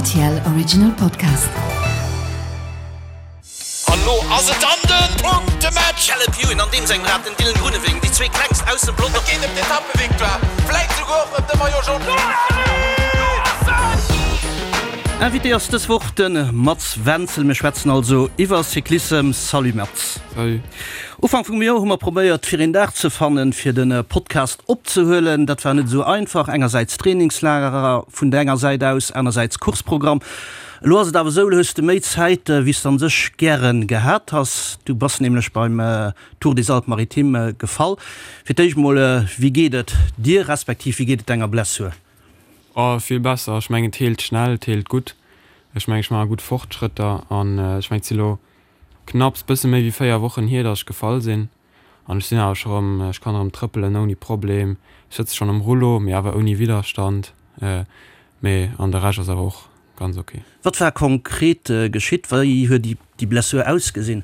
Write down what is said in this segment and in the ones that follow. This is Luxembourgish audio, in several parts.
RTL Original Podcast. An lo ass et dann den Punktematch! Caleb Ewan an deem sengem Rad, den Dylan Groenewegen, déi zwee klengst aus dem Pelotong. Et geet ëm d'Etappevictoire, vläit souguer och ëm de Maillot Jaune. Invité ass dës Woch de Mats Wenzel. Mir schwätzen also iwwer Cyclissem. Salut Mats. Salut. Ufank vum Joer hu mer probéiert fir een Dag ze fannen fir de Podcast opzehuelen. Dat war net esou einfach. Engersäits Trainingslagerer vun der enger Säit aus, anersäits Courseprogramm. Elo ass et awer esou, elo hues de méi Zäit wéi s de an sech gären gehat has. Du bass nämlech beim Tour des Alpes Maritimes gefall. Fir d'éischt mol, wéi geet et dir, respektiv wéi geet et denger Blessur? Oh, vill besser. Ech mengen et heelt schnell, et heelt gutt. Ech mengen ech maache gutt Fortschrëtter an ech mengen et si lo Knapps bësse méi wéi 4 Wochen hier dass ech gefall sinn an ech sinn awer scho rëm, ech kann erëm trëppelen ouni Problem, ech sëtze schonn am Rullo, mee awer ouni Widderstand, mee an de Rescht ass awer och ganz ok. Wat war konkret geschitt? Wéi huet déi Blessur ausgesinn?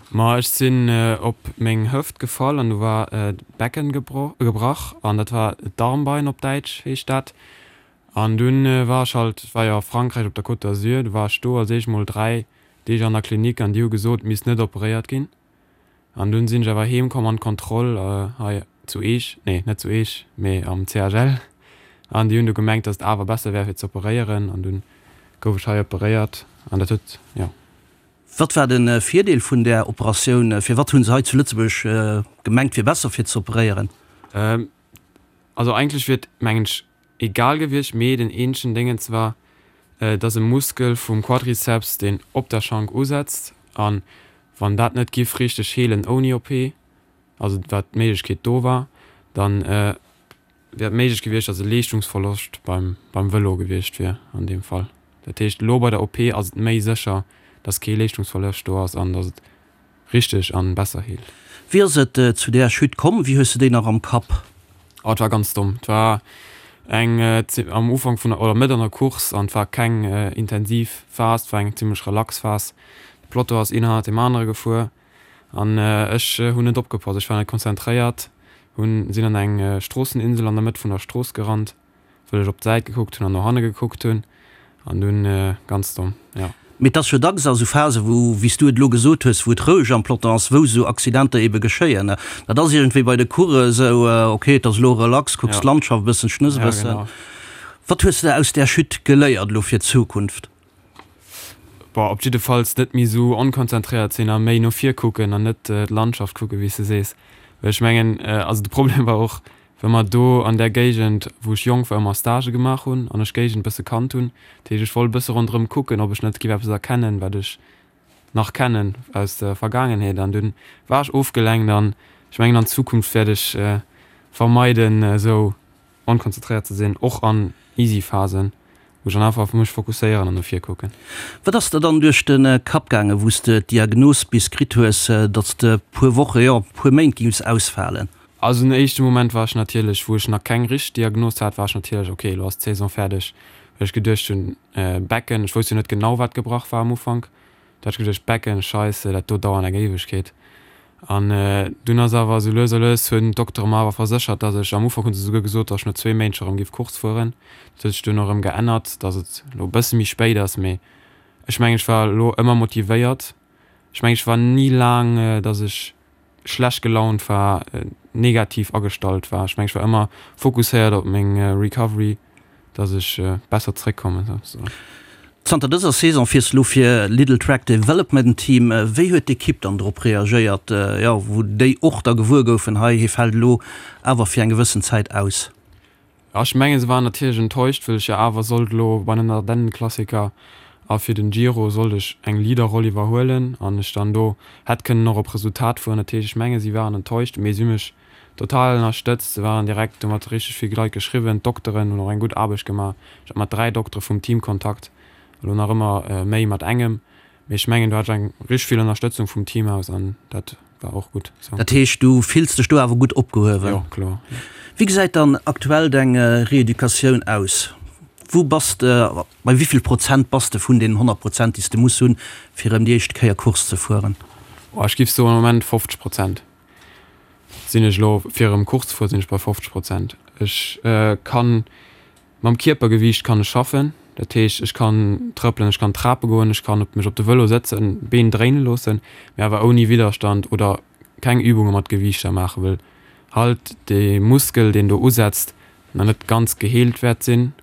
Ma ech sinn op meng Hëft gefall an do war d'Becken gebrach an dat war d'Darmbein op Däitsch heescht dat. An dunn war ech halt, et war jo a Frankräich op der Côte d'Azur, du war ech do als éischt mol 3 Deeg an der Klinik an déi hu gesot, et misst net operéiert ginn. An dunn sinn ech awer heem komm an d'Kontroll hei zu Eech, nee net zu Eech, mee am CHL, an déi hunn du gemengt, datt et awer besser wär fir ze operéieren an dunn gouf ech hei operéiert an dat huet, jo. Wat war de Virdeel vun där Operatioun? Firwat hu se hei zu Lëtzebuerg gemengt, wier besser fir ze operéieren? Also eigentlech wier et, mengen ech, egal gewiescht, mee den eenzegen Déngens war, et ass e Muskel vum Quadriceps, deen op der Schank usetzt, an wann dat net giff richteg heelen ouni OP, also wat d'Méiglechkeet do war, dann wär et méiglech gewiescht, dass e Leeschtungsverloscht beim beim Vëlo gewiescht wier an deem Fall. Dat heescht, elo bei der OP ass et méi sécher, dass kee Leeschtungsverloscht do ass an dass et Richteg an besser heelt. Wéi ass et zu där Chute komm? Wéi hues de déi nach am Kapp? Oh, et war ganz domm. Et war eng am Ufank vun der, oder Mëtt an der Course an et war keng intensiv Phas, et war eng zimmlech relax Phas. De Peloton ass een hannert deem anere gefuer an ech hunn net opgepasst, ech war net konzentréiert, hunn, sinn an eng Stroosseninsel an der Mëtt vun der Strooss gerannt. Wëll ech op d'Säit gekuckt hunn an no hanne gekuckt hunn an dunn, ganz domm, jo. Mee et ass jo dacks a sou Phasen, wou, wéi s du et elo gesot hues, wou et roueg am Peloton ass, wou sou Accidenter ebe geschéien. Dat ass iergendwéi bei de Course esou, ok, et ass elo relax, kucks d'Landschaft e bëssen, schnëss e bëssen. Wat hues de aus där Chute geléiert elo fir d'Zukunft? Bon, op jiddefalls net méi esou onkonzentréiert sinn a méi no vir kucken an net d'Landschaft kucken, wéi s de sees. Well ech mengen, also de Problem war och, well mer do an där Géigend, wou ech jonk war, ëmmer Stagë gemaach hunn an ech d'Géigend e bësse kannt hunn. Dat heescht, ech wollt e bësse ronderëm kucken, ob ech net géif eppes erkennen, wat ech nach kennen aus der Vergaangenheet. An dunn war ech ofgelenkt an ech mengen, an Zukunft wäert ech vermeiden, esou Onkonzentréiert ze sinn, och an easy Phasen, wou ech dann einfach op mech fokusséieren an no vir kucken. Wat ass der dann duerch de Kapp gaangen, wou s de d'Diagnos bis kritt hues, datt s de puer Woche, jo puer Méint géings ausfalen? Also den éischte Moment war ech natierlech, wou ech nach keng richteg Diagnos hat, war ech natierlech, ok, elo ass d'Saison fäerdeg, well ech geduecht hunn, Becken, ech wousst jo net genau wat gebrach war am Ufank, Da hat ech geduecht, Becken, Scheisse, dat do dauert eng Éiwegkeet. An dunn ass awer esou lues a lues hunn d'Doktere mer awer verséchert, datt ech, am Ufank hu se souguer gesot, datt ech no zwee Méint scho rëm géif Course fueren. Dat huet sech dunn och erëm geännert, datt et elo e bësse méi spéit ass. Mee ech mengen, ech war elo ëmmer motivéiert. Ech mengen, ech war ni laang, datt ech schlecht gelaunt war, negativ agestallt war. Ech mengen, ech war ëmmer fokusséiert op meng Recovery, dass ech besser zréckkommen souzesoen. Zanter dëser Saison fiers de lo fir Lidl Trek Development Team. Wéi huet d'Ekipp dann drop reagéiert, jo wou déi och da gewuer goufen, hei hie fält elo awer fir eng gewëssen Zäit aus? Jo, ech mengen, se waren natierlech enttäuscht, wëll ech jo awer sollt elo bei den Ardennenklassiker a fir den Giro sollt ech eng Leaderroll iwwerhuelen an ech dann do hätt kënnen och op Resultat fueren. Dat heescht, ech mengen, si waren enttäuscht, mee si hu mech total ënnerstëtzt. Se waren direkt, hu mat richteg vill Leit geschriwwen, d'Dokteren hunn och eng gutt Aarbecht gemaach. Ech hat mat 3 Doktere vum Team Kontakt, elo nach ëmmer méi mat engem. Mee ech mengen do hat ech eng richteg vill Ënnerstëtzung vum Team aus an dat war och gutt sou. Dat heescht du fills dech do awer gutt opgehuewen? Jo, kloer. Wéi gesäit dann aktuell deng Reeducatioun aus? Wou bass de, bei wéi vill Prozent bass de vun deenen 100 Prozent déi s de muss hunn, fir erëm déi éischt Kéier Course ze fueren? Oh, ech giff soen am Moment 50 Prozent sinn ech elo. Fir erëm Course ze fueren sinn ech bei 50 Prozent. Ech kann mam Kierpergewiicht kann ech schaffen. Dat heescht, ech kann trëppelen, ech kann Trape goen, ech kann op mech op de Vëlo sëtzen, d'Been dréine loossen, mee awer ouni Widderstand oder keng Übunge mat Gewiichter maachen, wëll halt dee Muskel, deen do usetzt, nach net ganz geheelt wäert sinn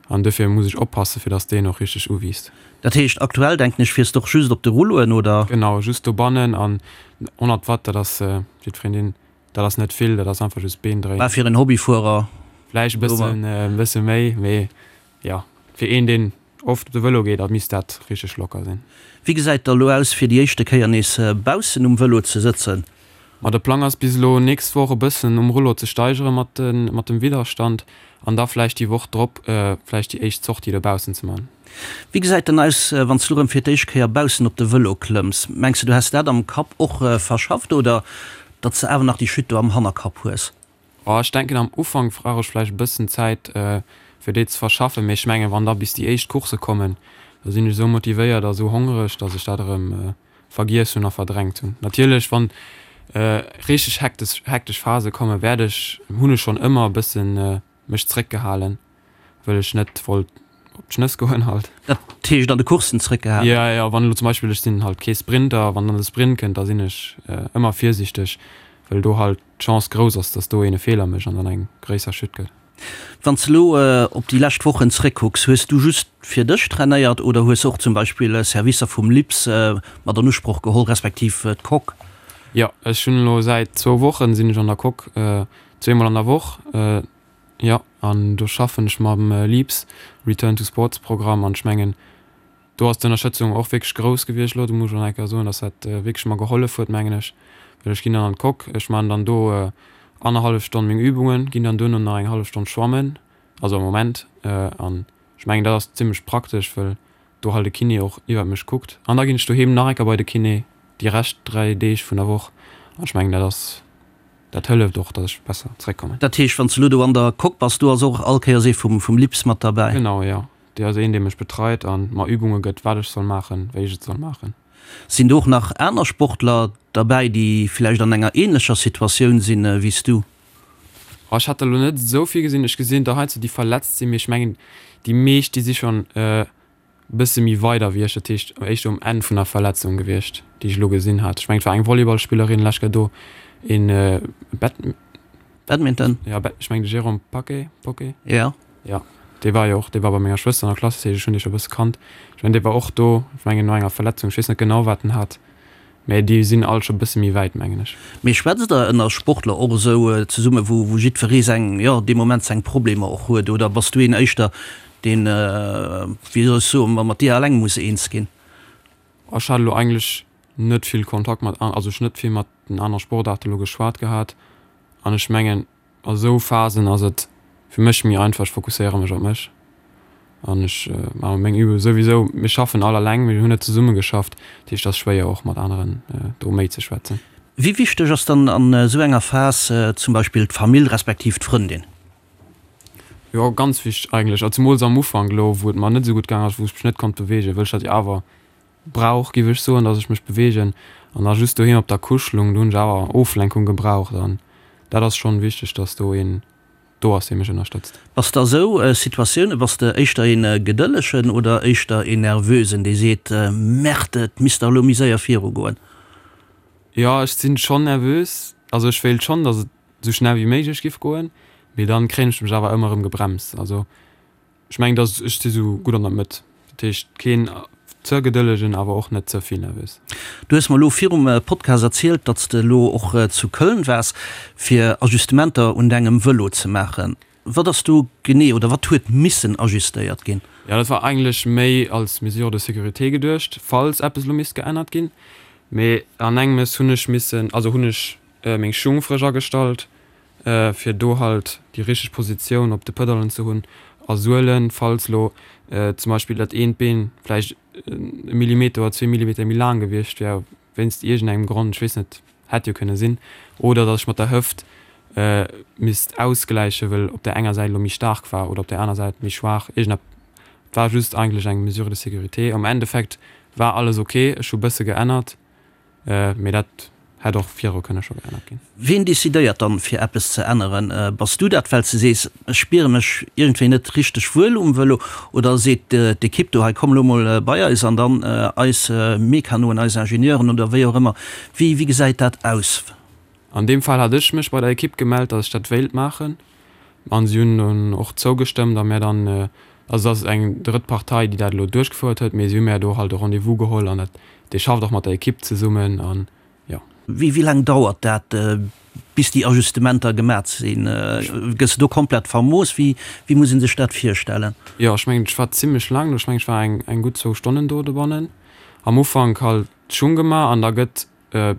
an dofir muss ech oppassen, fir dass deen och richteg uwiisst. Dat heescht, aktuell denken ech, fiers de och just op de Rulloen, oder? Genau, just dobannen an 100 Watt, dat ass jiddwereen deen Dat ass net vill, dat ass einfach just Been dréinen. Mä fir en Hobbyfuerer. Vläicht e bëssen, e bësse méi, mee jo, fir een, deen oft op de Vëlo geet, da misst dat richteg locker sinn. Wéi gesäit da elo aus, fir déi éischte Kéier nees baussen um Vëlo ze sëtzen? Ma de Plang ass bis elo nächst Woch e bëssen um Rullo ze steigere mat de, mat dem Widderstand an da vläicht déi Woch drop vläicht déi éischt Sortie dobaussen ze man. Wéi gesäit dann aus, wann s du erëm fir d'éischt Kéier baussen op de Vëlo klëmms? Mengs du, du häss dat am Kapp och verschafft oder datt s de awer nach déi Chute do am Hannerkapp hues? Oh, ech denken am Ufank brauch ech vläicht e bëssen Zäit fir déi ze verschaffen, mee ech mengen wann da bis déi éischt Coursse kommen, da sinn ech esou motivéiert a esou hongreg, datt ech dat erëm vergiess hunn a verdrängt hunn. Natierlech wann richteg hektesch hektesch Phase kommen, wäert ech, hunn ech schonn ëmmer e bëssen mech zréckgehalen, wëll ech net wollt op d'Schnëss goen halt. Dat heescht an de Courssen zréckgehalen? Jo, jo, wann elo zum Beispill, ech sinn halt kee Sprinter, wann dann de Sprint kënnt, da sinn ech ëmmer virsiichteg, wëll do halt d'Chance grouss ass, dass do een e Feeler mécht an dann eng gréisser Chute gëtt. Wann s de elo op déi lescht Wochen zréckkucks, hues du just fir dech trainéiert oder hues och zum Beispill Servicer vum LIPS mat an Usproch geholl, respektiv d'Coque? Jo, ech hunn elo säit zwou Wochen sinn ech an der Coque, zweemol an der Woch. Jo, an do schaffen ech mam LEAPS, Return to Sports Programm, an ech mengen, do ass d'Ënnerstëtzung och wierklech grouss gewiescht elo. Do muss ech och nach eng Kéier soen, dass dat wierklech mer gehollef huet, mengen ech, well ech ginn dann an d'Coque, ech maachen dann do annerhallef Stonn meng Übungen, ginn dann duerno nach eng hallef Stonn schwammen, also am Moment, an ech mengen, dat ass zimmlech praktesch, well do halt e Kiné och iwwert mech kuckt. An da ginn ech doheem nach eng Kéier bei de Kiné déi Rescht 3 Deeg vun der Woch, an ech mengen, dat ass. Dat hëlleft och, datt ech besser zréckkommen. Dat heescht, wann s de elo do an der Coque bass, do ass och all Kéiers ee vum LIPS mat derbäi? Genau, jo. Dee ass een, dee mech betreit a mer Übunge gëtt, wat ech soll maachen, wéi ech et soll maachen. Sinn do och nach aner Sportler derbäi, déi vläicht an enger änlecher Situatioun sinn wéi s du? Oh, ech hat der elo net esou vill gesinn. Ech gesinn der heiansdo, déi verletzt sinn, mee ech mengen, déi meescht, déi si schonn bësse méi weider wéi ech, dat heescht éischter um Enn vun der Verletzung gewiescht, déi ech elo gesinn hat. Ech mengen et war eng Volleyballspillerin lech Kéier do, een Bad. Badminton? Jo, ech mengen de Jérôme Paquet, Poquet? Jo. Jo, dee war jo och, dee war bei menger Schwëster an der Klass, dat heescht ech hunn dee scho e bësse kannt. Ech mengen dee war och do, ech mengen no enger Verletzung, ech weess net genau wat en hat, mä déi sinn all scho bësse méi wäit mengen ech. Mee schwätzt der ënner Sportler och esou zesumme wou wou jiddweree seng, jo dee Moment seng Problemer och huet, oder bass du een éischter deen, wéi soll ech soen, mat dir alleng muss eens ginn? Ech hat elo eigentlech net vill Kontakt mat, also ech net vill mat den anere Sportaarte elo geschwat gehat an ech mengen a sou Phasen ass et fir mech méi einfach, ech fokusséiere mech op mech an ech maache meng Übung souwisou. Mir schaffen all alleng, mir hunn net zesumme geschafft, dat heescht et ass schwéier och mat aneren do méi ze schwätzen. Wéi wichteg ass dann an esou enger Phas zum Beispill d'Famill respektiv d'Frëndin? Jo, ganz wichteg eigentlech, a zemools am Ufank elo, wou et mer net esou gutt gaang ass, wou ech mech net konnt beweegen, wëll ech dat jo awer brauch, giff ech soen, dass ech mech beweegen an da just doheem op der Couche lung, do hunn ech awer Oflenkung gebraucht an dat ass schonn wichteg, dass do een do ass, dee mech ënnerstëtzt. Bass de a sou Situatioune, bass de éischter een gedëllegen oder éischter een nervösen, dee seet, Merde, et misst dach elo méi séier virugoen? Jo, ech sinn schonn nervös, also ech wéilt schonn, dass et sou schnell wéi méiglech giff goen, mee dann kréien ech mech awer ëmmer erëm gebremst. Also ech mengen dass ech si sou gutt an der Mëtt, dat heescht keen ze gedëllegen awer och net ze vill nervös. Du hues mer elo virum Podcast erzielt, datt s de elo och zu Köln waars fir Ajustementer un dengem Vëlo ze maachen. Wat ass do genee oder wat huet missen ajustéiert ginn? Jo, dat war eigentlech méi als Mesure de sécurité geduecht, falls eppes elo misst geännert ginn. Mee an engems hunn ech missen, also hunn ech meng Schung frësch agestallt, fir do halt déi richteg Positioun op de Pëdallen ze hunn a Suelen, falls lo zum Beispill dat eent Been vläicht e Millimeter oder zwee Millimeter méi laang gewiescht wär, wéinst iergendengem Grond, ech weess net, hätt jo kënne sinn, oder datt ech mat der Hëft misst ausgläichen, wëll op där enger Säit elo méi staark war oder op där aner Säit méi schwaach, iergendepp. Et war just eigentlech eng Mesure de sécurité. Am Endeffekt war alles ok, ech hu bësse geännert. Mee dat Hätt och viru kënne scho geännert ginn. Wien decidéiert dann, fir eppes ze änneren? Bass du dat, well s de sees, ech spiere mech iergendwéi net richteg wuel um Vëlo? Oder seet d'Ekipp do, hei komm elo mol bei eis an dann eis Mekanoen, eis Ingenieuren oder wéi och ëmmer? Wéi wéi gesäit dat aus? An deem Fall hat ech mech bei der Ekipp gemellt, datt ech dat wéilt maachen an si hunn dunn och zougestëmmt a mär dann, also et ass eng drëtt Partei, déi dat elo duerchgefouert huet, mee si hu mär do halt e Rendez-vous geholl an dat, dee schafft och mat der Ekipp zesummen an jo. Wéi wéi laang dauert dat, bis déi Ajustementer gemat sinn? Gëss de do komplett vermooss? Wéi wéi muss ee sech dat virstellen? Jo, ech mengen, ech war zimlech laang do. Ech mengen, ech war eng eng gutt zwou Stonnen do dobannen. Am Ufank halt d'Schung gemaach an da gëtt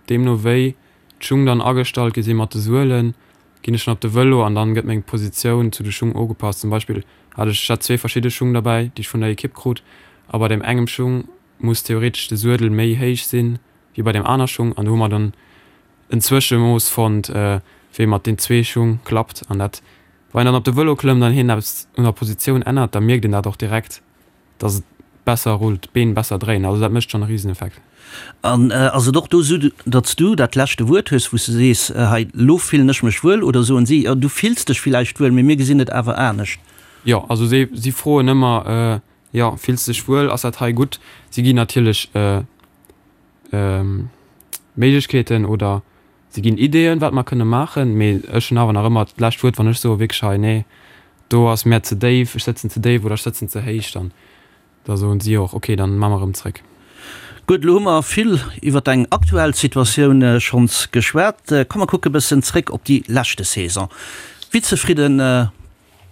deemno wéi d'Schung dann agestallt gi si mat de Suelen, ginn ech dann op de Vëlo an dann gëtt meng Positioun zu de Schung ugepasst. Zum Beispill hat ech, ech hat zwee verschidde Schung derbäi, déi ech vun der Ekipp krut a bei deem engem Schung muss theoretesch de Suedel méi héich sinn wéi bei deem aner Schung an do hu mer dann en Zwëschemooss fonnt, wéi mat den zwee Schung klappt an dat, wann een dann op de Vëlo klëmmt an hien eppes un der Positioun ännert, da mierkt een dat och direkt, dass et besser rullt, d'Been besser dréinen, also dat mécht schonn e Riseneffekt. An ass et och do esou, datt s du dat leschte Wuert hues, wou s de sees, hei elo fillen ech mech wuel, oder soen si, jo du fills dech villäicht wuel, mee mir gesinn et awer anescht? Jo, also si si froen ëmmer, jo fills de dech wuel, ass dat hei gutt? Si ginn natierlech Méiglechkeeten oder si ginn Ideeën, wat mer kënne maachen, mee ech hunn awer nach ëmmer d'lescht Wuert, wann ech soe wierklech hei, nee, do ass mär ze déif, ech sëtzen ze déif oder ech sëtzen ze héich, dann da soen si och, okay, dann maache mer erëm zréck. Gutt, elo hu mer vill iwwer deng aktuell Situatioun schonns geschwat. Komm mer kucke bëssen zréck op déi leschte Saison. Wéi zefridde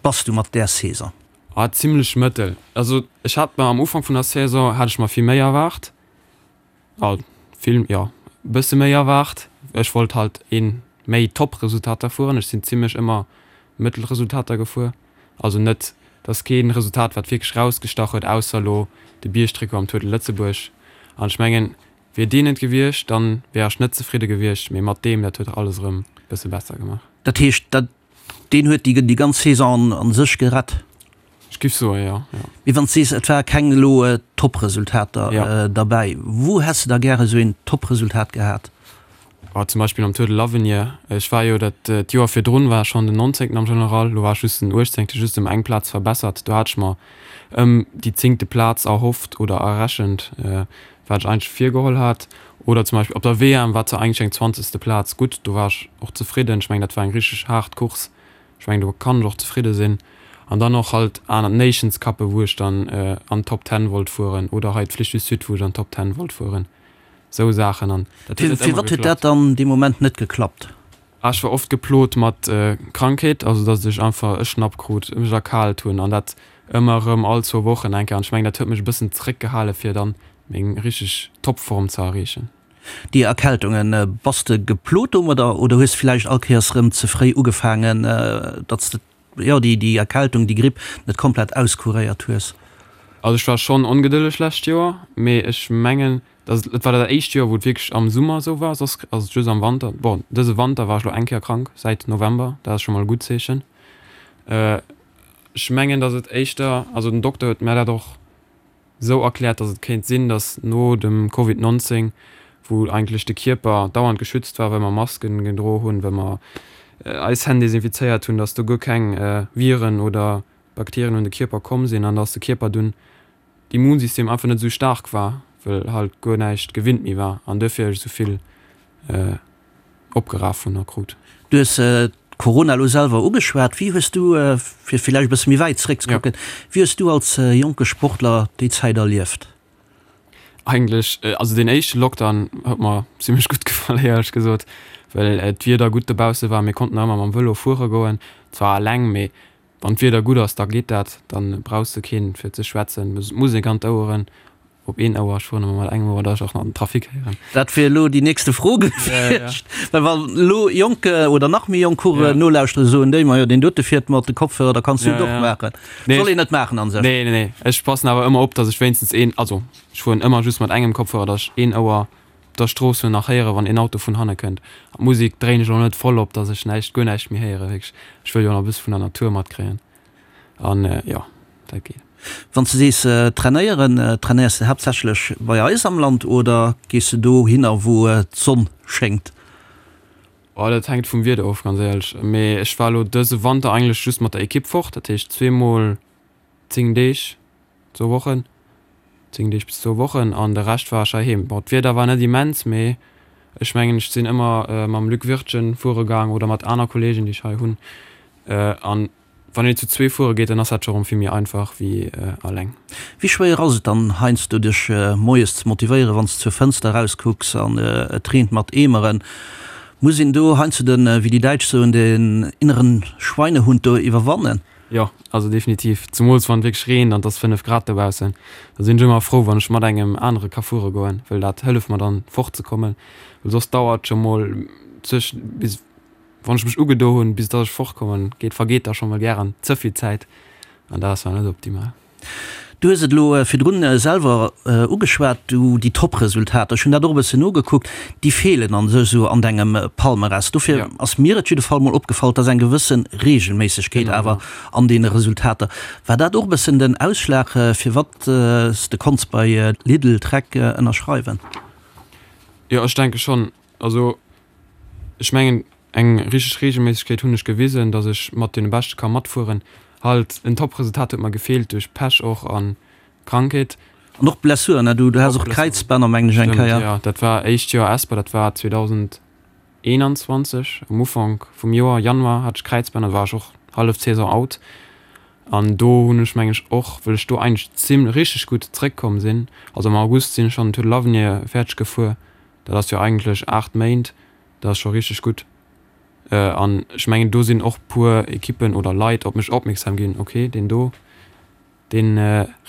bass du mat där Saison? Ah, zimlech mëttel. Also ech hat mer am Ufank vun der Saison hat ech mer vill méi erwaart. Ah, vill, jo, e bësse méi erwaart. Ech wollt halt een méi Top-Resultater fueren. Ech sinn zimlech ëmmer Mëttelresultater gefuer. Also net, dass keen Resultat wat wierklech rausgestach huet, ausser elo de Biergtrikot am Tour de Lëtzebuerg. An ech mengen, wier deen net gewiescht, dann wär ech net zefridde gewiescht, mee mat deem, dat huet alles erëm bësse besser gemaach. Dat heescht, dat Deen huet déi ganz Saison an sech gerett. Ech giff soen, jo, jo. Mee wann s de sees, et ware keng elo Top-Resultater derbäi, wou häss de da gäre sou een Top-Resultat gehat? Oh, zum Beispill am Tour de l'Avenir. Ech war jo dat d'Joer virdrun war ech schonn den Nonzéngten am General, elo war ech just den Uechtzéngten, just ëm eng Plaz verbessert. Do hat ech mer ëm déi zéngte Plaz erhofft oder errechent. Wat ech eigentlech virgeholl hat. Oder zum Beispill op der WM war zwar eigentlech eng zwanzegste Plaz gutt, do war ech och zefridden. Ech mengen, dat war eng richteg haart Course. Ech mengen, do kann ech och zefridde sinn. An dann och halt aner Nations Cuppe wou ech dann an d'Top Ten wollt fueren oder hei d'Flèche du Sud, wou ech an d'Top Ten wollt fueren. Esou Saachen an dat huet net ëmmer geklappt. Firwat huet dat dann dee Moment net geklappt? Ah, ech war oft geplot mat Krankheet, also datt ech einfach e Schnapp krut, mech erkaalt hunn an dat ëmmer erëm all zwou Wochen eng Kéier. An ech mengen, dat huet mech e bëssen zeréckgehale fir dann meng richteg Topform ze erreechen. Déi Erkältungen, bass de geplot domadder oder hues villäicht all Kéiers rëm ze fréi ugefaangen, datt s de jo déi déi Erkältung, déi Gripp net komplett auskuréiert hues? Also ech war schonn ongedëlleg lescht Joer, mee ech mengen, Dat et war dat éischt Joer, wou et wierklech am Summer esou war, soss ass et just am Wanter. Bon, dëse Wanter war ech elo eng Kéier krank, säit November, dat ass scho mol e gutt Zeechen. Ech mengen, datt et éischter, also den Dokter huet mär dat och esou erkläert, datt et kéint sinn, datt no dem Covid 19, wou eigentlech de Kierper dauernd geschützt war, well mer Masken gedro hunn, well mer eis Hänn desinfizéiert hunn, datt do guer keng Viren oder Bakterien un de Kierper komm sinn an datt de Kierper dunn d'Immunsystem einfach net esou staark war, well halt guer näischt gewinnt méi war an duerfir ech esou vill opgeraf hunn a krut. Du hues d'Corona elo selwer ugeschwat. Wéi hues du, fir villäicht e bësse méi wäit zeréckzekucken, wéi hues du als jonke Sportler déi Zäit erlieft? Eigentlech, also deen éischte Lockdown huet mer zimmlech gutt gefall, éierlech gesot, well d'Wieder gutt dobausse war, mir konnten nach ëmmer mam Vëlo fuere goen, zwar eleng, mee Wann d'Wieder gutt ass, da geet dat, dann brauchs de keen fir ze schwätzen. Musek an d'Oueren, op een Ouer, ech fueren ëmmer mat engem Ouer, dass ech och nach den Trafic héieren. Dat wier elo déi nächste Fro gewiescht, well wann elo jonk oder nach méi jonk Coureuren nolauschteren, soen déi, majo deen dote fiert mat de Kopfhörer, da kanns du et och maachen. Soll een net maachen an sech. Nee, nee, nee, ech passen awer ëmmer op, dass ech wéinstens een, also ech fueren ëmmer just mat engem Kopfhörer, dass ech een Ouer Op der Strooss hunn nach héieren, wann een Auto vun hanne kënnt. An d'Musek dréin ech och net voll op, dass ech näischt, guer näischt méi héieren. Wierklech, ech wëll jo nach e bësse vun der Natur matkréien. An jo, dat geet. Wann s de sees trainéieren, trainéiers de haaptsächlech bei eis am Land oder gees de dohinner, wou d'Sonn schéngt? Oh, dat hänkt vum Wieder of, ganz éierlech. Mee ech war elo dëse Wanter eigentlech just mat der Ekipp fort, dat heescht zweemol 10 Deeg, zwou Wochen, 10 Deeg bis zwou Wochen an de Rescht war ech heiheem. Bon, d'Wieder war net immens, mee ech mengen ech sinn ëmmer mam Luc Wirtgen fuere gaang oder mat aner Kolleegen, déi ech hei hunn an Wann een zu zwee fuere geet, dann ass dat scho rëm vill méi einfach wéi alleng. Wéi schwéier ass et dann heiansdo dech moies ze motivéieren, wann s de zur Fënster erauskucks an et reent mat Eemeren? Muss een do heiansdo den, wéi déi Däitsch soen, den inneren Schweinehund do iwwerwannen? Jo, also definitiv. Zemools wann et wierklech reent an et ass 5 Grad dobaussen. Da sinn ech ëmmer frou, wann ech mat engem anere ka fuere goen, well dat hëlleft mer dann fortzekommen, well soss dauert scho mol zwëschen bis Wann ech mech ugedo hunn, bis dass ech fortkommen, geet vergeet da scho mol gären ze vill Zäit an dat ass dann net optimal. Du hues et elo virdrun selwer ugeschwat, du déi Top-Resultater, ech hunn dat och e bëssen nogekuckt, déi feelen an sech esou an dengem Palmarès. Dofir ass mir et jidde Fall mol opgefall, dass eng gewësse Reegelméissegkeet awer an deene Resultater. War dat och e bëssen den Ausschlag, firwat s de konns bei Lidl Trek ënnerschreiwen? Jo, ech denke schonn. Also Ech mengen, eng richteg Reegelméissegkeet hunn ech gewisen, datt ech mat deene Beschte ka matfueren. Halt en Top-Resultat huet mer gefeelt, duerch Pech och a Krankheet. An och Blessuren, ne? Du has och Kräizbänner, mengen ech, eng Kéier. Stëmmt, jo. Dat war éischt Joer Esper, dat war 2021, am Ufank vum Joer, Januar, hat ech Kräizbänner, da war ech och hallef d'Saison out. An do hunn ech, mengen ech, och, wëll ech do eigentlech zimlech richteg gutt zréckkomm sinn, also am August sinn ech schonn den Tour de l'Avenir fäerdeg gefuer, Dat ass jo eigentlech 8 Méint, dat ass scho richteg gutt. An ech mengen, do sinn och puer Ekippen oder Leit op mech opmierksam ginn, ok, deen do, dee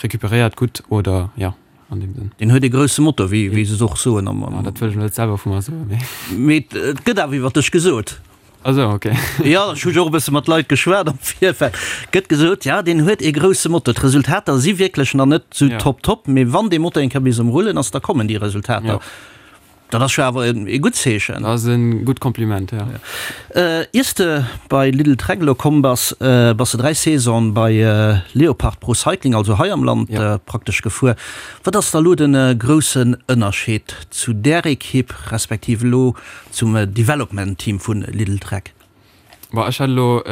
recuperéiert gutt oder jo, an deem Sënn. Deen huet ee grousse Motor, wéi se och soen. Jo, dat wëll ech net selwer vu mer soen, mee. Mee et gëtt awer iwwer dech gesot. Ah sou, ok. Jo, ech hu jo och e bësse mat Leit geschwat am Virfeld. Gëtt gesot, ja, deen huet ee grousse Motor. D'Resultater si wierklech nach net sou top top, mee wann dee Motor eng Kéier bis um Rullen ass, da kommen déi Resultater. Dat ass jo awer ee gutt Zeechen. Dat ass e gutt Kompliment, jo. Iers de bei Lidl Trek elo komm bass, bass de 3 Saisonen bei Leopard Pro Cycling, also hei am Land praktesch gefuer. Wat ass da elo de groussen Ënnerscheed zu där Ekipp, respektiv elo Zum Development Team vun Lidl Trek. Bon, ech hätt elo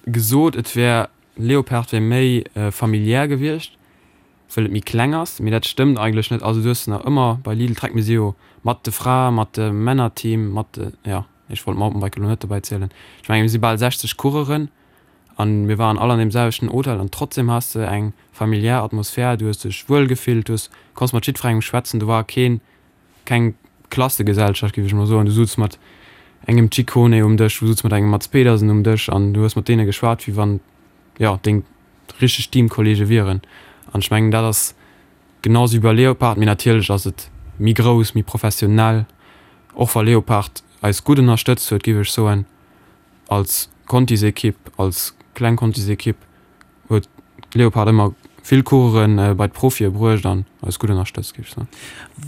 gesot, et wär, Leopard wär méi familiär gewiescht, wëll et méi kleng ass, mee dat stëmmt eigentlech net. Also du hues nach ëmmer bei Lidl Trek, mir si jo mat de Frae, mat dem Männerteam, mat de, jo, ech wollt Mountainbike elo net dobäi zielen, ech mengen mir si bal 60 Coureuren an mir waren all an deem selwechten Hotel an trotzdem has de eng familiär Atmosphär, du hues dech wuel gefillt, du hues, konns mat jiddwerengem schwätzen, do war keen, keng Klassegesellschaft, géif ech mol soen. Du sutz mat engem Ciccone um Dësch, du sutz mat engem Mads Pedersen um Dësch an du hues mat deene geschwat, wéi wann, jo, deng richteg Teamkollege wieren. An ech mengen, dat ass genau sou wéi bei Leopard, mee natierlech ass et méi grouss, méi professionell. Och wa Leopard eis gutt ënnerstëtzt huet, géif ech soen, als Contisekipp, als kleng Contisekipp, huet Leopard ëmmer vill Coureuren bei d'Profie bruecht an eis gutt ënnerstëtzt, géif ech soen.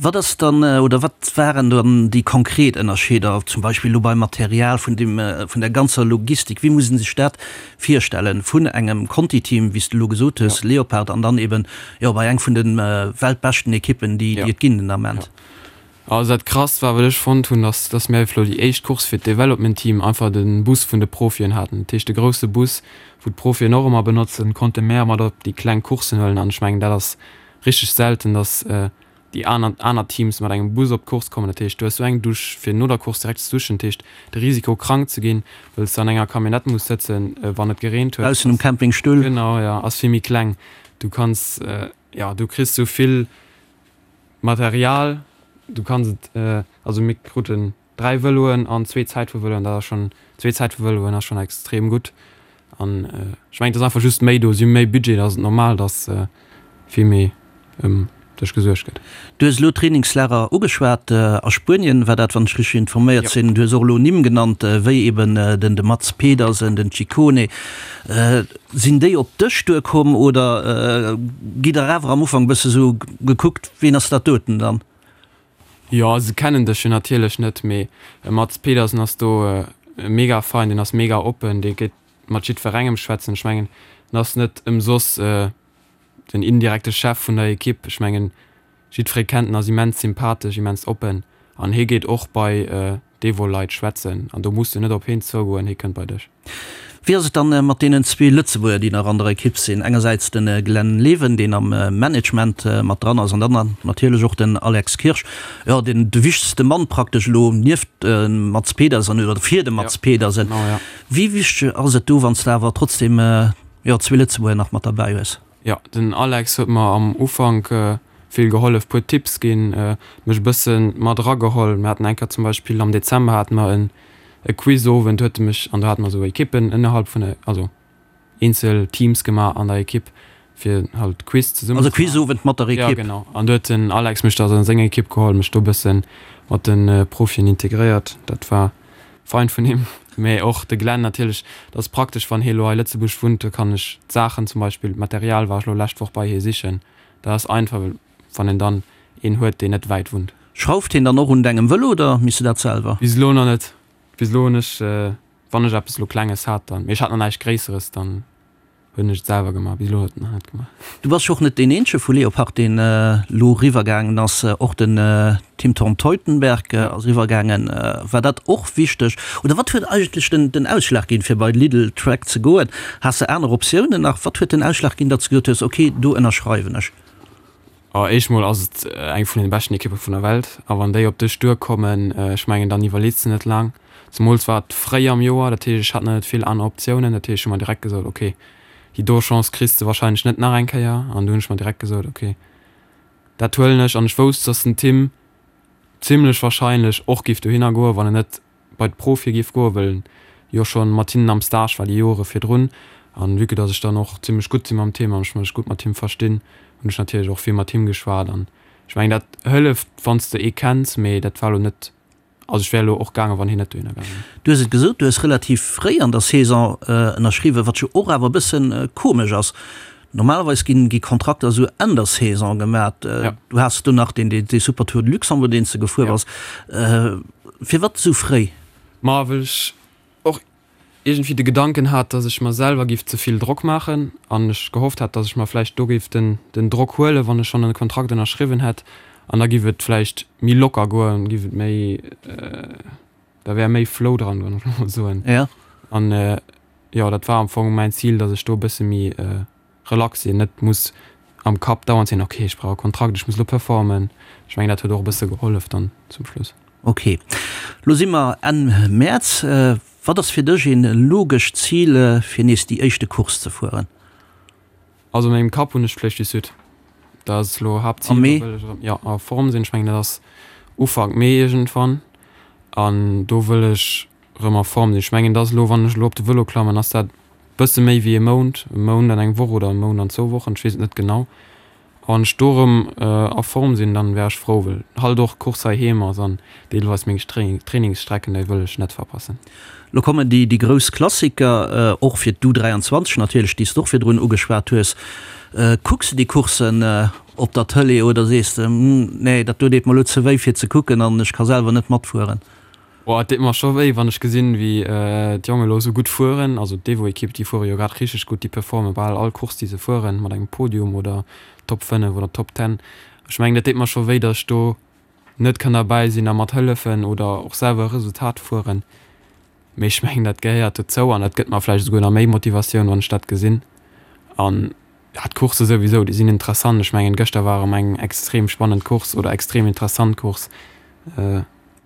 Wat ass dann, oder wat waren dann déi konkret Ënnerscheeder, zum Beispill elo beim Material, vun dem, vun der ganzer Logistik? Wéi muss een sech dat virstellen, vun engem Conti-Team, wéi s de elo gesot hues, Leopard, an dann eben, jo, bei eng vun de weltbeschten Ekippen, déi et ginn den Ament? Also dat krasst war wat ech fonnt hunn, ass dass mir elo déi éischt Course fir d'Development Team einfach de Bus vun de Profien haten. Dat heescht de grousse Bus wou d'Profien och ëmmer benotzen, konnte mär mat op déi kleng Courssen huelen an ech mengen dat ass richteg selten, dass déi aner aner Teams mat engem Bus op d'Course kommen. Dat heescht du hues sou eng Dusch fir no der Course direkt ze duschen, dat heescht de Risiko krank ze ginn wëll s de an enger Camionnette muss sëtzen wann et gereent huet Baussen um Campingstull. Genau jo, ass vill méi kleng. Du kanns jo du kriss sou vill Material, du kanns et, also mir kruten 3 Vëloen an zwee Zäitfuervëloen, dat ass schonn, zwee Zäitfuervëloen ass schonn extrem gutt an ech mengen et ass einfach just méi do, si hu méi Budget, da ass et normal, datt vill méi ëm dech gesuergt gëtt. Du hues elo d'Trainingslager ugeschwat, a Spuenien war dat, wann ech richteg informéiert sinn. Du hues och elo Nimm genannt, wéi eben den de Mads Pedersen, den Ciccone. Sinn déi op dech duerkomm oder gitt der awer am Ufank e bësse sou gekuckt, ween ass dat doten dann? Jo, se kennen dech jo natierlech net, mee e Mads Pedersen ass do mega fein, deen ass mega oppen, dee geet mat jiddwerengem schwätzen. Ech mengen, en ass net ëmsoss den indirekte Chef vun der Ekipp. Ech mengen, jiddweree kennt en, ass immens sympathesch, immens oppen an hie geet och bei. d'Evo-Leit schwätzen an do muss de net op heen zougoen, hee kënnt bei dech. Wéi ass et dann mat deenen zwee Lëtzebuerger, déi nach an der Ekipp sinn? Engersäits de Glenn Leven, deen am Management mat dran ass, an dann natierlech och den Alex Kirsch, jo, deen de wichtegste Mann praktesch elo nieft dem Mads Pedersen oder fir de Mads Pedersen. Wéi wichteg ass et do, wann s de awer trotzdeem, jo, zwee Lëtzebuerger nach mat derbäi hues? Jo, den Alex huet mer am Ufank vill gehollef, puer Tipps ginn, mech e bësse mat erageholl. Mir haten eng Kéier zum Beispill am Dezember hate mer en e Quizowend, huet e mech, an do hate mer esou Ekippen ënnerhalb vun der, also eenzel Teams gemaach an der Ekipp, fir halt Quiz zesummen ze maachen. Also Quizowend mat der Ekipp? Jo, genau. An do huet den Alex mech da an seng Ekipp geholl, mech do e bësse mat de Profien integréiert. Dat war Fein vun him, mee och de Glenn natierlech. Dat ass praktesch, wann hie lo hei Lëtzebuerg wunnt, da kann ech d'Saachen, zum Beispill d'Material war ech lo lescht Woch bei hie sichen. Dat ass einfach, wann een dann een huet, deen net wäit wunnt. Schrauft hien dann och un dengem Vëlo oder misst du dat selwer? Bis elo nach net. Bis elo hunn ech, wann ech eppes lo Klenges hat, dann, mee ech hat nach näischt Gréisseres, dann Hunn ech et selwer gemaach, bis elo huet en nach net gemaach. Du bass jo och net deen eenzege vu Leopard deen elo eriwwer gaangen ass, och den Tim Torn Teutenberg ass eriwwer gaangen. War dat och wichteg oder wat huet eigentlech den den Ausschlag ginn fir bei Lidl Trek ze goen? Has de aner Optiounen nach? Wat huet den Ausschlag ginn, datt s de gesot hues, ok do ënnerschreiwen ech? Oh, éischt mol ass et eng vun den beschten Ekippe vun der Welt a wann déi op dech duerkommen, ech mengen dann iwwerleets de net laang. Zemools war et fréi am Joer, dat heescht ech hat nach net vill aner Optiounen, dat heescht ech hu mer direkt gesot, ok déi do Chance kriss de warscheinlech net nach eng Kéier an du hunn ech mer direkt gesot, ok dat huelen ech an ech wousst, dass den Tim zimlech warscheinlech och giff dohinner goen, wann en net bei d'Profie géif goen, well en jo schonn mat hinnen am Stage war déi Jore virdrun. An vue que dass ech dann och zimlech gutt si mam Tim an ech mech gutt mat him verstinn, hunn ech natierlech och vill mat him geschwat. An ech mengen, dat hëlleft, wann s de ee kenns, mee dat war elo net, also ech wär elo och gaangen, wann hien net dohinner gaange wär. Du hues et gesot, du hues relativ fréi an der Saison ënnerschriwwen, wat jo och awer e bësse komesch ass. Normalerweis ginn gi Kontrakter esou Enn der Saison gemat. Du has do nach deen dee Super Tour de Luxembourg deen s de gefuer bass. Firwat esou fréi? Ma well ech och iergendwéi de Gedanken hat, datt ech mer selwer géif ze vill Drock maachen an ech gehofft hat, datt ech mer vläicht do géif den den Drock huelen, wann ech schonn e Kontrakt ënnerschriwwen hätt an da géif et vläicht méi locker goen, géif et méi, da wär méi Flow dran, wann ech mol soen. An Jo, dat war am Fong mäin Zil, dass ech do e bësse méi relax sinn, net muss am Kapp dauernd sinn, ok, ech brauch e Kontrakt, ech muss elo performen. Ech mengen, dat huet och e bësse gehollef dann zum Schluss. Ok, lo si mer Enn Mäerz. Wat ass fir dech een logescht Zil, fir nees déi éischte Course ze fueren? Also an mengem Kapp hunn ech d'Flèche du Sud. Dat ass elo Haaptzil. Am Mee? Do wëll ech erëm, jo, a Form sinn. Ech mengen, dat ass Ufank Mee iergendwann. An do wëll ech erëm a Form sinn. Ech mengen, dat ass elo, wann ech elo op de Vëlo klammen, ass dat bësse méi wéi e Mount, e Mount an eng Woch oder e Mount an zwou Wochen, ech weess et net genau. A wann ech do erëm a Form sinn, dann wär ech frou, well halt och d'Course heiheem ass an deelweis meng Trainingsstrecken, déi wëll ech net verpassen. Lo kommen déi déi grouss Klassiker, och fir d'U23 natierlech, déi s de och virdrun ugeschwat hues. Kucks de déi Courssen op der Tëlee oder sees de, Nee, dat do deet mer elo ze wéi fir ze kucken an ech ka selwer net matfueren? Oh, et deet mer scho wéi, wann ech gesinn, wéi d'Jongen elo esou gutt fueren. Also d'Evo-Ekipp, déi fuere jo grad richteg gutt, déi performe bal all Course, déi se fueren, mat engem Podium oder Top 5 oder Top 10. Ech mengen, dat deet mer scho wéi, datt ech do net kann derbäi sinn a mat hëllefen oder och selwer e Resultat fueren. Mee ech mengen, dat gehéiert dozou an dat gëtt mer vläicht esouguer nach méi Motivatioun, wann ech dat gesinn. An ja, d'Coursse souwisou, déi sinn interessant. Ech mengen, gëschter war erëm eng extrem spannend Course oder extrem interessant Course.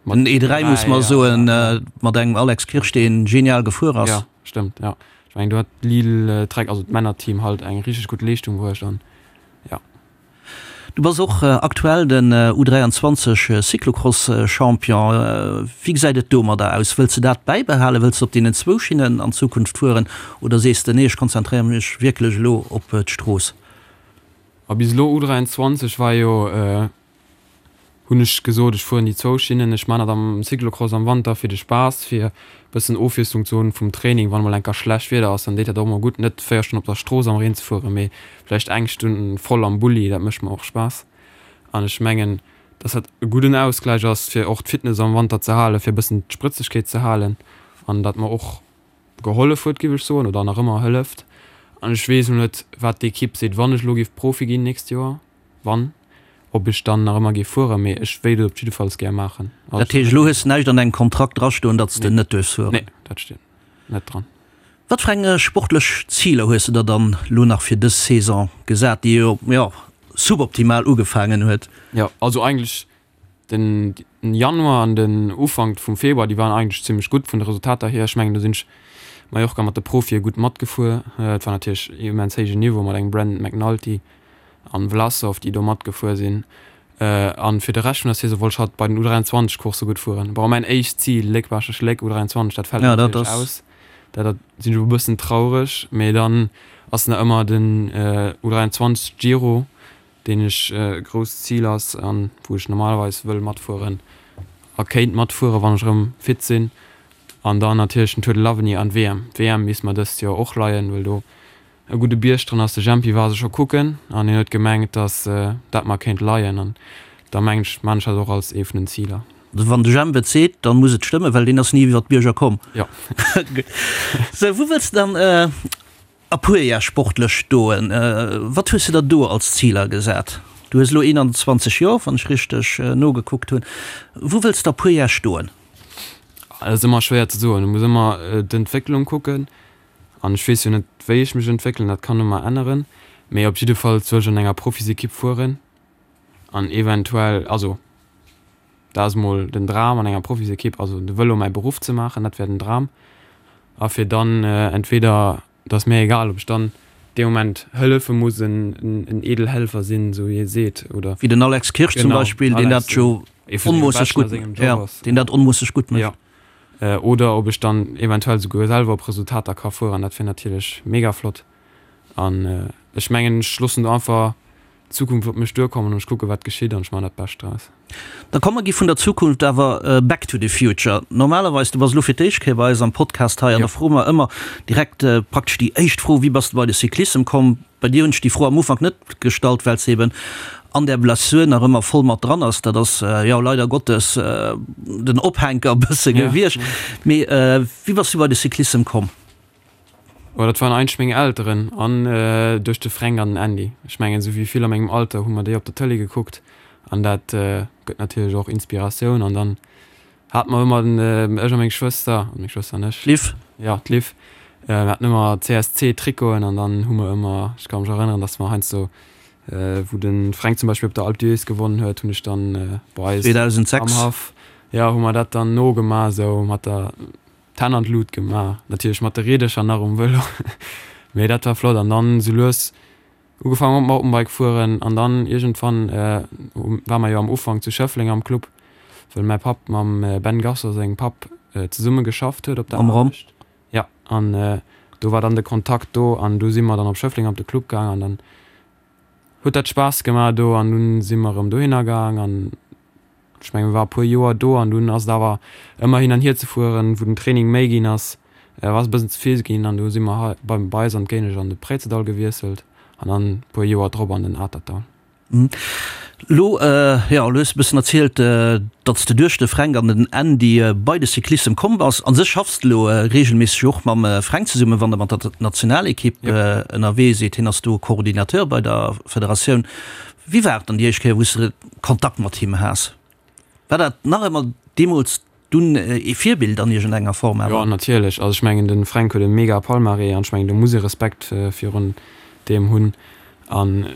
Den E3 muss mer soen, mat engem Alex Kirsch deen genial gefuer ass. Jo, stëmmt, jo. Ech mengen do huet Lille Trek, also d'Männerteam halt eng richteg gutt Leeschtung bruecht an jo. Du bass och aktuell den U23 Cyclocross Champion. Wéi gesäit et domadder aus? Wëlls de dat bäibehalen? Wëlls de op deenen zwou Schinnen an Zukunft fueren oder sees de nee ech konzentréiere mech wierklech elo op d'Strooss? A bis elo U23 war jo hunn ech gesot, ech fueren déi zwou Schinnen. Ech man dat am Cyclocross am Wanter fir de Spaass, fir e bëssen Ofwiesslung ze hunn vum Training. Wann emol enker schlecht Wieder ass, dann deet dat och emol gutt, net 4 Stonnen op der Strooss am Reen ze fueren, mee vläicht eng Stonn voll am Bulli. Dat mécht mer och Spaass an ech mengen, dass dat e gudden Ausgläich ass, fir och d'Fitness am Wanter ze halen, fir e bëssen d'Sprëtzegkeet ze halen an dat mer och gehollef huet, géif ech soen, oder nach ëmmer hëlleft. An ech weess elo net, wat d'Ekipp seet, wann ech elo géif Profi ginn nächst Joer. Wann. Ob ech dann nach ëmmer géif fueren, mee ech wéilt et op jiddefalls gär maachen. Dat heescht, elo hues de näischt an dengem Kontrakt drastoen, datt s de net duerfs fueren? Nee, dat steet net dran. Wat fir eng sportlech Ziler hues de der dann elo nach fir dës Saison gesat, déi jo, jo, suboptimal ugefaangen huet? Jo, also eigentlech den Januar an den Ufank vum Februar, déi waren eigentlech zimmlech gutt vun de Resultater hier. Ech mengen, do sinn ech Mallorca mat de Profie gutt matgefuer. Et war natierlech immens héijen Niveau mat engem Brandon McNulty an Vlasov, déi do matgefuer sinn. An fir de Rescht vun der Saison wollt ech halt bei den U23 Coursse gutt fueren. Bon, mäin éischt Zil, Léck-Baaschtnech-Léck U23, dat fält natierlech aus. Dat sinn ech e bëssen traureg, mee dann ass nach ëmmer den U23 Giro, deen ech e grousst Zil ass an wou ech normalerweis wëll matfueren a kéint matfueren, wann ech erëm fit sinn. An dann natierlech den Tour de l'Avenir an d'WM. D'WM misst mer dëst Joer och leien, well do e gudde Bierg dran ass. De Jempy war se scho kucken an hien huet gemengt, datt dat mer kéint leien an da mengen ech, maan ech dat och als ee vun den Ziler. Also wann de Jemp et seet, dann muss et stëmmen, well deen ass ni iwwer d'Bierger komm. Jo. Gutt. Sou, wou wëlls de dann a puer Jar sportlech stoen? Wat hues de der do als Ziler gesat? Du hues elo 21 Joer, wann ech richteg nogekuckt hunn. Wou wëlls de a puer Jar stoen? Dat ass ëmmer schwéier ze soen. Du muss ëmmer d'Entwécklung kucken. An ech weess jo net, wéi ech mech entwéckelen, dat kann ëmmer änneren. Mee op jiddefalls wëll ech an enger Profisekipp fueren an eventuell, also dat ass mol den Dram, an enger Profisekipp, also de Vëlo mäi Beruff ze maachen, dat wär den Dram. A fir dann entweder, et ass mir egal, ob ech dann dee Moment hëllefe muss, en Edelhelfer sinn, esou wéi ee seet, oder. Wéi den Alex Kirsch zum Beispill, deen dat jo onmoosseg gutt, jo, deen dat onmoosseg gutt mécht. Oder ob ech dann eventuell souguer selwer op Resultater ka fueren, dat wier natierlech mega flott. An ech mengen, ech loossen do einfach d'Zukunft op mech duerkommen an ech kucke wat geschitt an ech maachen dat Bescht draus. Da komm mer gi vun der Zukunft awer back to the future. Normalerweis, du bass elo fir d'éischt Kéier bei eis am Podcast hei an da froe mer ëmmer direkt praktesch déi éischt Fro, Wéi bass de bei de Cyclissem komm? Bei dir hunn ech déi Fro am Ufank net gestallt, well s eben an där Blessur nach ëmmer voll mat dran ass. Dat ass jo leider Gottes den Ophänker e bësse gewiescht. Mee wéi bass du bei de Cyclissem komm? Oh, dat waren eigentlech meng Elteren an duerch de Fränk an den Andy. Ech mengen, esou wéi vill a mengem Alter hu mer déi op der Tëlee gekuckt an dat gëtt natierlech och Inspiratioun. An dann Hat mer ëmmer den, ech a meng Schwëster, meng Schwëster an ech. D'Liv. Jo, d'Liv. Mir haten ëmmer CSC-Trikoten an dann hu mer ëmmer, ech ka mech erënneren, dass mer heiansdo, wou de Fränk zum Beispill op der Alpe d'Huez gewonnen huet, hunn ech dann bei eis 2006. am Haff, jo, hu mer dat dann nogemaach, esou mat der d'Hänn an d'Lut gemaach, natierlech mat de Riedercher nach um Vëlo, mee dat war flott an dann esou lues Ugefaangen mat Mountainbike fueren an dann iergendwann war mer jo am Ufank zu Schëffleng am Club, well mäi Papp mam Ben Gasser sengem Papp zesumme geschafft huet op der Aarbecht. Jo, an do war dann de Kontakt do an du si mer dann op Schëffleng op de Club gaang an dann huet dat Spaass gemaach do an dunn si mer erëm dohinner gaang an Ech mengen, mir war e puer Joer do an dunn ass et awer ëmmer hin an hier ze fueren, wou den Training méi ginn ass, war et e bëssen ze vill ginn an du si mer hei bei bei eis an d'Géinesch an de Préizedall gewiesselt an dann e puer Joer drop an den Atertdall. Lo, jo, lo hues de e bëssen erzielt, datt s de duerch de Fränk an den Andy bei de Cyclissem komm bass. A sech schaffs de lo reegelméisseg och mam Fränk zesummen, wann der mat der Nationalekipp ënnerwee sidd. Hien ass do Coordinateur bei der Federatioun. Wéi war et dann déi éischt Kéier, wou s de Kontakt mat him has? War dat nach ëmmer deemools dunn ee Virbild an iergendenger Form awer? Jo, natierlech. Also ech mengen, de Fränk huet e mega Palmarès an ech mengen, do muss ee Respekt virun deem hunn. An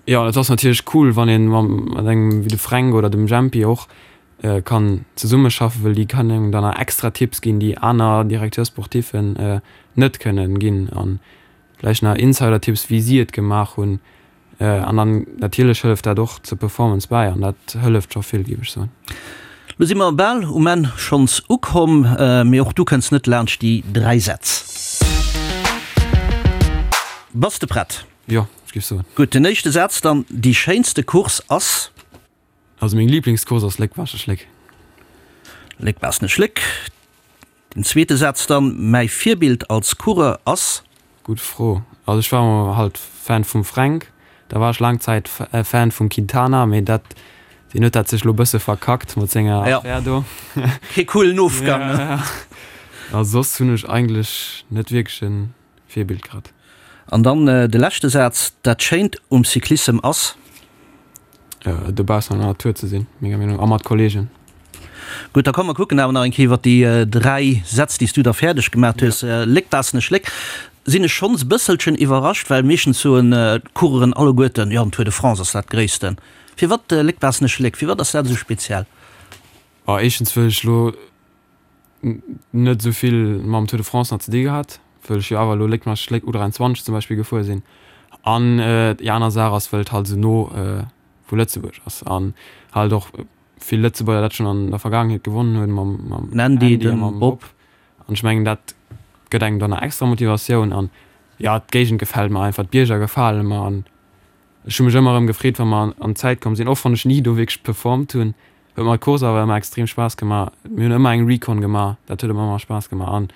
jo, et ass natierlech cool, wann ee mat engem wéi de Fränk oder dem Jempy och kann zesummeschaffen, well déi kënnen engem dann nach extra Tipps ginn, déi aner Directeur-sportiffen net kënnen ginn. An Vläicht nach Insider-Tipps wéi si et gemaach hunn. An dann natierlech hëlleft dat och zur Performance bäi an dat hëlleft scho vill, géif ech soen. Lo si mer bal um Enn schonns ukomm, mee och du kënns net laanscht déi 3 Sätz. Bass de prett? Jo, ech géif soen. Gutt, den éischte Saz dann, Déi schéinste Course ass? Also meng Liblingscourse ass Léck-Baaschtnech-Léck. Léck-Baaschtnech-Léck. Den zweete Saz dann, Mäi Virbild als Coureur ass. Gutt Fro. Also ech war emol halt Fan vum Fränk, da war ech laang Zäit Fan vum Quintana, mee dat, deen huet dat sech lo bësse verkackt mat senger Affär do. Kee coolen Ofgang, ne? A soss hunn ech eigentlech net wierklech e Virbild grad. An dann de leschte Saz, Dat Schéint um Cyclissem ass. Dobaussen an der Natur ze sinn, menger Meenung no, a mat Kollegen. Gutt, da komm mer kucken awer nach eng Kéier iwwer déi 3 Sätz, déi s du da fäerdeg gemaat hues. Léck-Baassenesch Léck sinn ech schonns e bësselchen iwwerrascht, well meeschtens soen d'Coureuren alleguerten, jo, den Tour de France ass dat Gréissten. Firwat Léck-Baassenesch Léck? Firwat ass dat esou speziell? Oh, éischtens wëll ech elo net esou vill mam Tour de France nach ze di gehat, wëll ech jo awer elo Léck-Baassenesch Léck U23 zum Beispill gefuer sinn. An déi aner Saach ass, wëll et halt esou no vu Lëtzebuerg ass an halt och vill Lëtzebuerger dat schonn an der Vergaangenheet gewonnen hunn mam mam Andy a mam Bob. An ech mengen dat gëtt engem dann nach extra Motivatioun an jo d'Géigend gefält mer einfach, d'Bierger gefale mer an ech hu mech ëmmer erëm gefreet wa mer an d'Zäit komm sinn, och wann ech ni do wierklech performt hunn, huet mer d'Course awer ëmmer extrem Spaass gemaach. Mir hunn ëmmer eng Recon gemaach, dat huet ëmmer Spaass gemaach an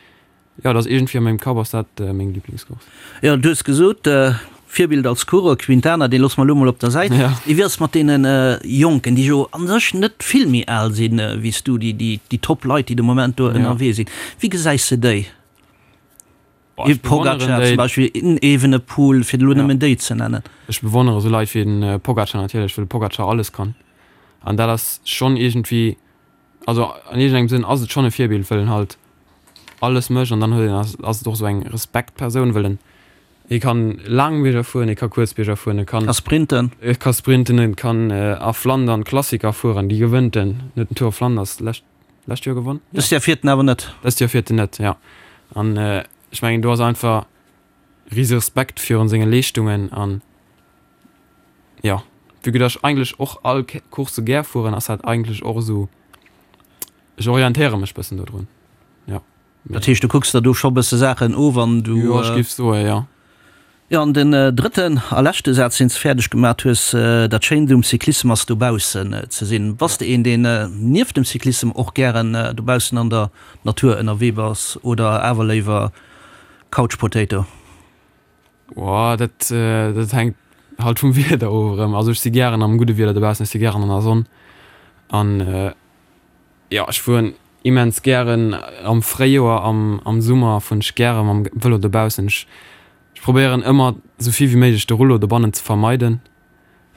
Jo, dat ass iergendwéi a mengem Kapp ass dat meng Liblingscourse. Jo, du hues gesot, Virbild als Coureur, Quintana, dee loosse mer elo mol op der Säit. Wéi ass et mat deene Jonken, déi jo a sech net vill méi al sinn wéi s du, déi top Leit, déi de Moment do ënnerwee sinn? Wéi gesäis de déi? E Pogacar zum Beispill, en Evenepoel, fir elo nëmmen déi ze nennen. Ech bewonnere sou Leit wéi den Pogacar natierlech, well de Pogacar alles kann. An dat ass schonn iergendwéi Also an iergendengem Sënn ass et schonn e Virbild, wëll en halt alles mécht an dann huet een, ass et och esou eng Respektpersoun, wëll en, hie kann laang Bierger fueren, hie ka kuerz Bierger fueren, e kann. Ka sprinten. E ka sprinten, e kann a Flandern Klassiker fueren, déi gewënnt en, en huet den Tour of Flanders lescht, lescht Joer gewonn? Dëst Joer fiert en awer net. Dëst Joer fiert en net, jo. An ech mengen do ass einfach rise Respekt virun senge Leeschtungen an. Jo, vue que dass ech eigentlech och all Coursse gär fueren, ass dat eigentlech och esou, ech orientéiere mech bëssen dodrun, jo. Dat heescht, du kucks der do scho bësse Saachen of an du. Jo, ech géif soe jo. Jo, an den drëtten a leschte Saz, deen s de fäerdeg gemat hues, Dat Schéint um Cyclissem ass dobaussen ze sinn. Bass de een, deen nieft dem Cyclissem och gären dobaussen an der Natur ënnerwee bass oder awer léiwer Couch Potato? Boah, dat, dat hänkt halt vum Wieder of erëm. Also ech si gären am gudde Wieder dobaussen, ech si gären an der Sonn. An jo, ech fueren immens gären am Fréijoer, am, am Summer fueren ech gäre mam Vëlo dobaussen. Ech, ech probéieren ëmmer esou vill wéi méiglech de Rullo dobannen ze vermeiden.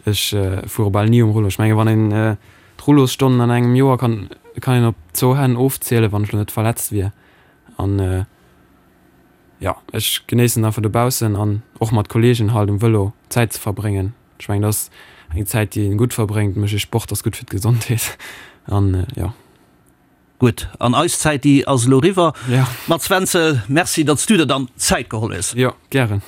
Ech fuere bal ni um Rullo. Ech menge wann een d'Rullosstonnen an engem Joer kann, kann een op zwou Hänn ofzielen, wann ech lo net verletzt wier. An Jo, ech genéissen einfach dobaussen an och mat Kollegen halt um Vëlo Zäit ze verbréngen. Ech mengen, dat ass eng Zäit, déi een gutt verbréngt. Mécht ee Sport ass gutt fir d'Gesondheet an jo. Gutt, an eis Zäit, déi ass elo eriwwer. Mats Wenzel, Merci, datt s du der dann Zäit geholl hues. Jo, gären.